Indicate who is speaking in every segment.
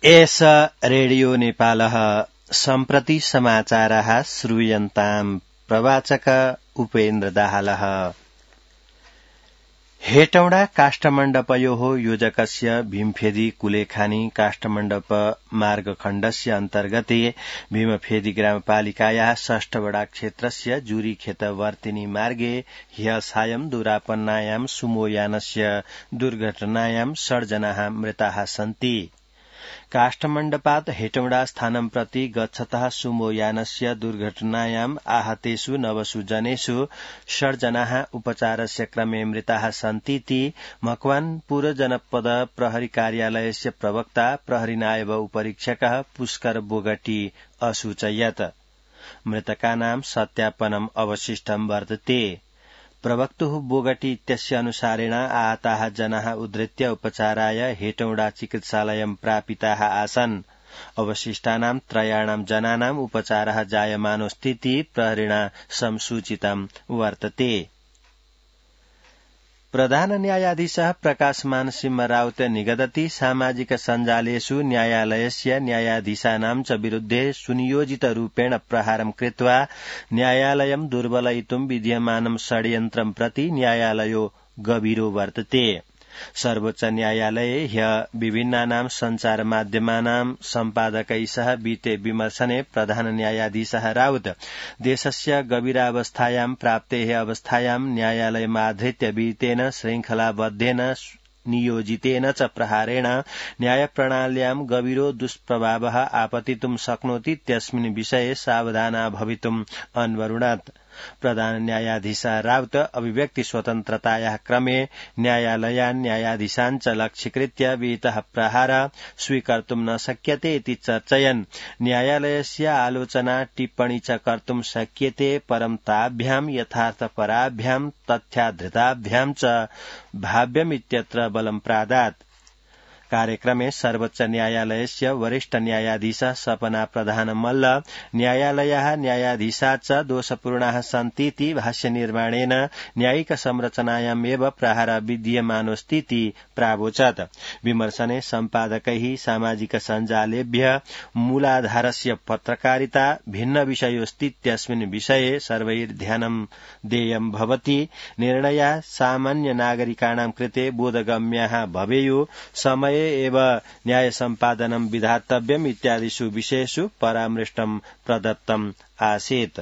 Speaker 1: एष रेडियो नेपालः सम्प्रति समाचारः श्रूयन्ताम् प्रवाचक उपेन्द्र दाहालः। हेटौडा काष्ठमण्डपयोः योजकस्य भीमफेदी कुलेखानी काष्ठमण्डप मार्गखण्डस्य अन्तर्गते भीमफेदी ग्रामपालिकायाः 6 वडा क्षेत्रस्य जुरीखेतवर्तिनी मार्गे ह्यः सायं दुरापन्नायां सुमोयानस्य दुर्घटनायां 6 जनाः मृताः सन्ति। काष्ठमण्डपात् हेटौडा स्थानं प्रति गच्छतः सुमोयानस्य दुर्घटनायाम् आहतेषु 9 जनेषु 6 जनाः उपचारस्य क्रमे मृताः सन्तीति मकवानपुर जनपद प्रहरी कार्यालयस्य प्रवक्ता प्रहरी नायब उपरीक्षकः पुष्कर बोगटी असूचयत्। मृतकानां सत्यापनम् अवशिष्टं वर्तते। प्रवक्तुः बोगटी इत्यस्य अनुसारेण आहताः जनाः उद्धृत्य उपचाराय हेटौडा चिकित्सालयं प्रापिताः आसन्। अवशिष्टानां 3 जनानाम् उपचारः जायमानोऽस्तीति प्रहरिणा संसूचितं वर्तते। प्रधान न्यायाधीशः प्रकाशमान सिंह राउत निगदति सामाजिक सञ्जालेषु न्यायालयस्य न्यायाधीशानां च विरुद्धे सुनियोजितरूपेण प्रहारं कृत्वा न्यायालयं दुर्बलयितुं विद्यमानं षड्यन्त्रं प्रति न्यायालयो गभीरो वर्तते। सर्वोच्च न्यायालये ह्यः विभिन्नानां सञ्चारमाध्यमानां सम्पादकै सह विते विमर्शने प्रधान न्यायाधीशः राउत देशस्य गभीरावस्थायां प्राप्तेः अवस्थायां न्यायालयमाधृत्य वितेन श्रृङ्खलाबद्धेन नियोजितेन च प्रहारेण न्यायप्रणाल्यां गभीरो दुष्प्रभावः आपतितुं शक्नोति इत्यस्मिन् विषये सावधाना भवितुम् अन्वरुणत्। प्रधान न्यायाधीश राउत अभिव्यक्ति स्वतन्त्रतायाः क्रमे न्यायालयान् न्यायाधीशान् च लक्ष्यीकृत्य विहितः प्रहार स्वीकर्तुं न शक्यते इति चर्चयन् न्यायालयस्य आलोचना टिप्पणी च कर्तुं शक्यते परं ताभ्यां यथार्थपराभ्यां तथ्याधृताभ्यां च भाव्यमित्यत्र बलं प्रादात्। कार्यक्रमे सर्वोच्च न्यायालयस्य वरिष्ठ न्यायाधीश सपना प्रधान मल्ल न्यायालयः न्यायाधीशा च दोषपूर्णाः सन्तीति भाष्यनिर्माणेन न्यायिक संरचनायामेव प्रहार विद्यमानोऽस्तीति प्रावोचत्। विमर्शने सम्पादकैः सामाजिक सञ्जालेभ्यः मूलाधारस्य पत्रकारिता भिन्न विषयोऽस्तीत्यस्मिन् विषये सर्वैर्ध्यानं देयं भवति। निर्णयाः सामान्य नागरिकाणां कृते बोधगम्याः भवेयुः। समय एव न्याय सम्पादनं विधातव्यम् इत्यादिषु विषयेषु परामृष्टं प्रदत्तम् आसीत्।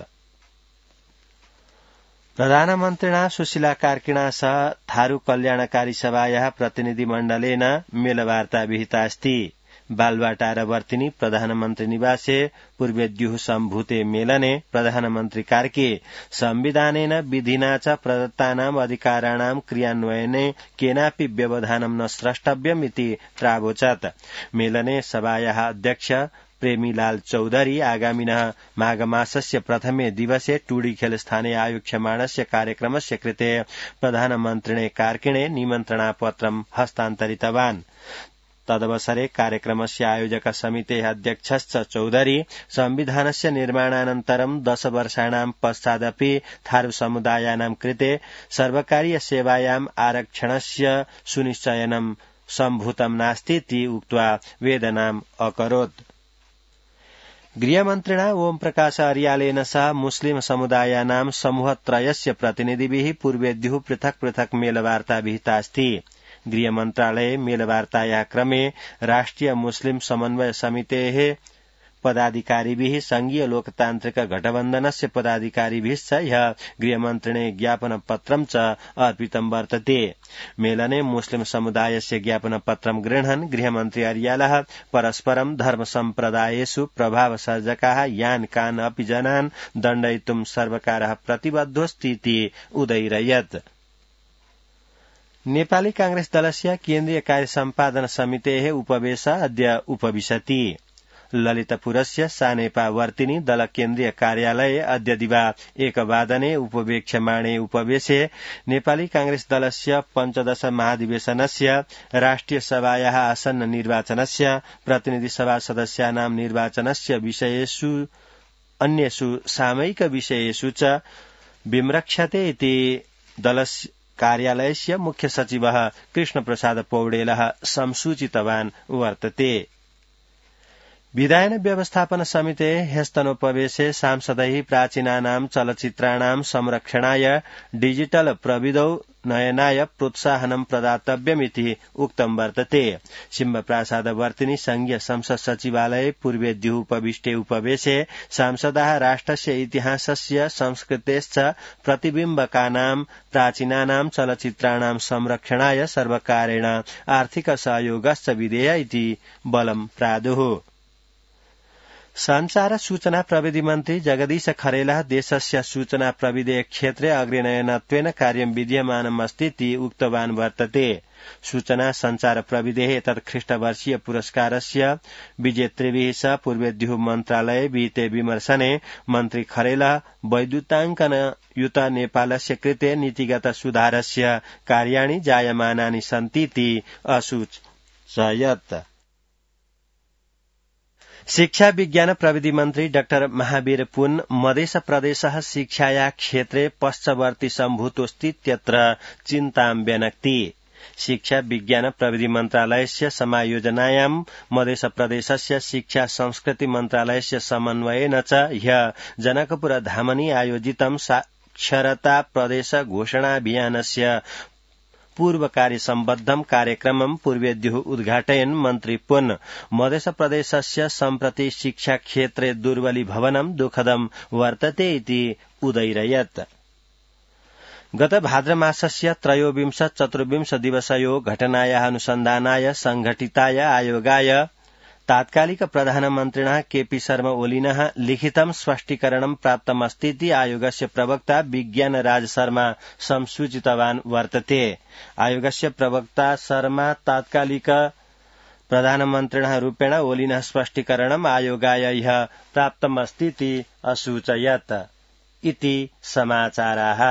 Speaker 1: प्रधानमन्त्रिणा सुशीला कार्किणा सह थारू कल्याणकारी सभायाः प्रतिनिधिमण्डलेन मेलवार्ता विहितास्ति। बालवाटारवर्तिनी प्रधानमन्त्री निवासे पूर्वेद्युः सम्भूते मेलने प्रधानमन्त्री कार्के संविधानेन विधिना च प्रदत्तानाम् अधिकाराणां क्रियान्वयने केनापि व्यवधानं न स्रष्टव्यम् इति प्रावोचत्। मेलने सभायाः अध्यक्ष प्रेमीलाल चौधरी आगामिनः माघमासस्य प्रथमे दिवसे टूडीखेल स्थाने आयोक्ष्यमाणस्य कार्यक्रमस्य कृते प्रधानमन्त्रिणे कार्किणे निमन्त्रणापत्रं हस्तान्तरितवान्। तदवसरे कार्यक्रमस्य आयोजक समितेः अध्यक्षश्च चौधरी संविधानस्य निर्माणानन्तरं 10 वर्षाणां पश्चादपि थारू समुदायानां कृते सर्वकारीय सेवायाम् आरक्षणस्य सुनिश्चयनं सम्भूतं नास्तीति उक्त्वा वेदनाम् अकरोत्। गृहमन्त्रिणा ओम प्रकाश अर्यालेन सह मुस्लिम समुदायानां समूहत्रयस्य प्रतिनिधिभिः पूर्वेद्युः पृथक् पृथक् मेलवार्ता विहितास्ति। गृहमन्त्रालये मेलवार्तायाः क्रमे राष्ट्रिय मुस्लिम समन्वय समितेः पदाधिकारिभिः संघीय लोकतान्त्रिक गठबन्धनस्य पदाधिकारिभिश्च ह्यः गृहमन्त्रिणे ज्ञापनपत्रं च अर्पितं वर्तते। मेलने मुस्लिम समुदायस्य ज्ञापनपत्रं गृह्णन् गृहमन्त्री अर्यालः परस्परं धर्मसम्प्रदायेषु प्रभावसर्जकाः यान् कान् अपि जनान् दण्डयितुं सर्वकारः प्रतिबद्धोऽस्तीति उदयिरयत्। नेपाली कांग्रेस दलस्य केन्द्रीय कार्य सम्पादन समितेः उपवेश अद्य उपविशति। ललितपुरस्य सानेपावर्तिनी दल केन्द्रीय कार्यालये अद्य दिवा 1 वादने उपवेक्ष्यमाणे उपवेशे नेपाली कांग्रेस दलस्य 15 महाधिवेशनस्य राष्ट्रिय सभायाः आसन्न निर्वाचनस्य प्रतिनिधि सभा सदस्यानां निर्वाचनस्य विषयेषु अन्येषु सामयिक विषयेषु च विमृक्षते इति दलस्य कार्यालयस्य मुख्य सचिवः कृष्णप्रसाद पौडेलः संसूचितवान् वर्तते। विधायन व्यवस्थापन समिते ह्यस्तनोपवेशे सांसदैः प्राचीनानां चलचित्राणां संरक्षणाय डिजिटल प्रविधौ नयनाय प्रोत्साहनं प्रदातव्यमिति उक्तं वर्तते। सिंहप्रासादवर्तिनि संघीय संसद सचिवालये पूर्वेद्युः उपविष्टे उपवेशे सांसदाः राष्ट्रस्य इतिहासस्य संस्कृतेश्च प्रतिबिम्बकानां प्राचीनानां चलचित्राणां संरक्षणाय सर्वकारेण आर्थिक सहयोगश्च विधेय इति बलं प्रादुः। संचार सूचना प्रविधि मन्त्री जगदीश खरेला देशस्य सूचना प्रविधि क्षेत्रे अग्रनयनत्वेन कार्यं विद्यमानमस्तीति उक्तवान् वर्तते। सूचना संचार प्रविधेः एतत् ख्रीष्टवर्षीय पुरस्कारस्य विजेतृभिः सह पूर्वेद्युः मन्त्रालये विहिते विमर्शने मन्त्री खरेला वैद्युताङ्कनयुत नेपालस्य कृते नीतिगत सुधारस्य कार्याणि जायमानानि सन्तीति असूचयत्। शिक्षा विज्ञान प्रविधि मन्त्री डाक्टर महावीर पुन मध्य प्रदेशः शिक्षाया क्षेत्रे पश्चवर्ती सम्भूतोऽस्तीत्यत्र चिन्तां व्यनक्ति। शिक्षा विज्ञान प्रविधि मन्त्रालयस्य समायोजनायां मध्य प्रदेशस्य शिक्षा संस्कृति मन्त्रालयस्य समन्वयेन च ह्यः जनकपुर धामनि आयोजितं साक्षरता प्रदेश घोषणाभियानस्य पूर्वकार्य सम्बद्धं कार्यक्रमं पूर्वेद्युः उद्घाटयन् मन्त्री पुन मध्य प्रदेशस्य सम्प्रति शिक्षा क्षेत्रे दुर्बलीभवनं दुःखदं वर्तते इति उदैरयत्। गत भाद्रमासस्य 23-24 दिवसयो घटनायाः अनुसन्धानाय संघटिताय आयोगाय तात्कालिक प्रधानमन्त्रिणः केपी शर्मा ओलीनः लिखितं स्पष्टीकरणं प्राप्तमस्तीति आयोगस्य प्रवक्ता विज्ञान राज शर्मा संसूचितवान् वर्तते। आयोगस्य प्रवक्ता शर्मा तात्कालिक प्रधानमन्त्रिणः रूपेण ओलीनः स्पष्टीकरणम् आयोगाय ह्यः प्राप्तमस्तीति असूचयत् इति समाचाराः।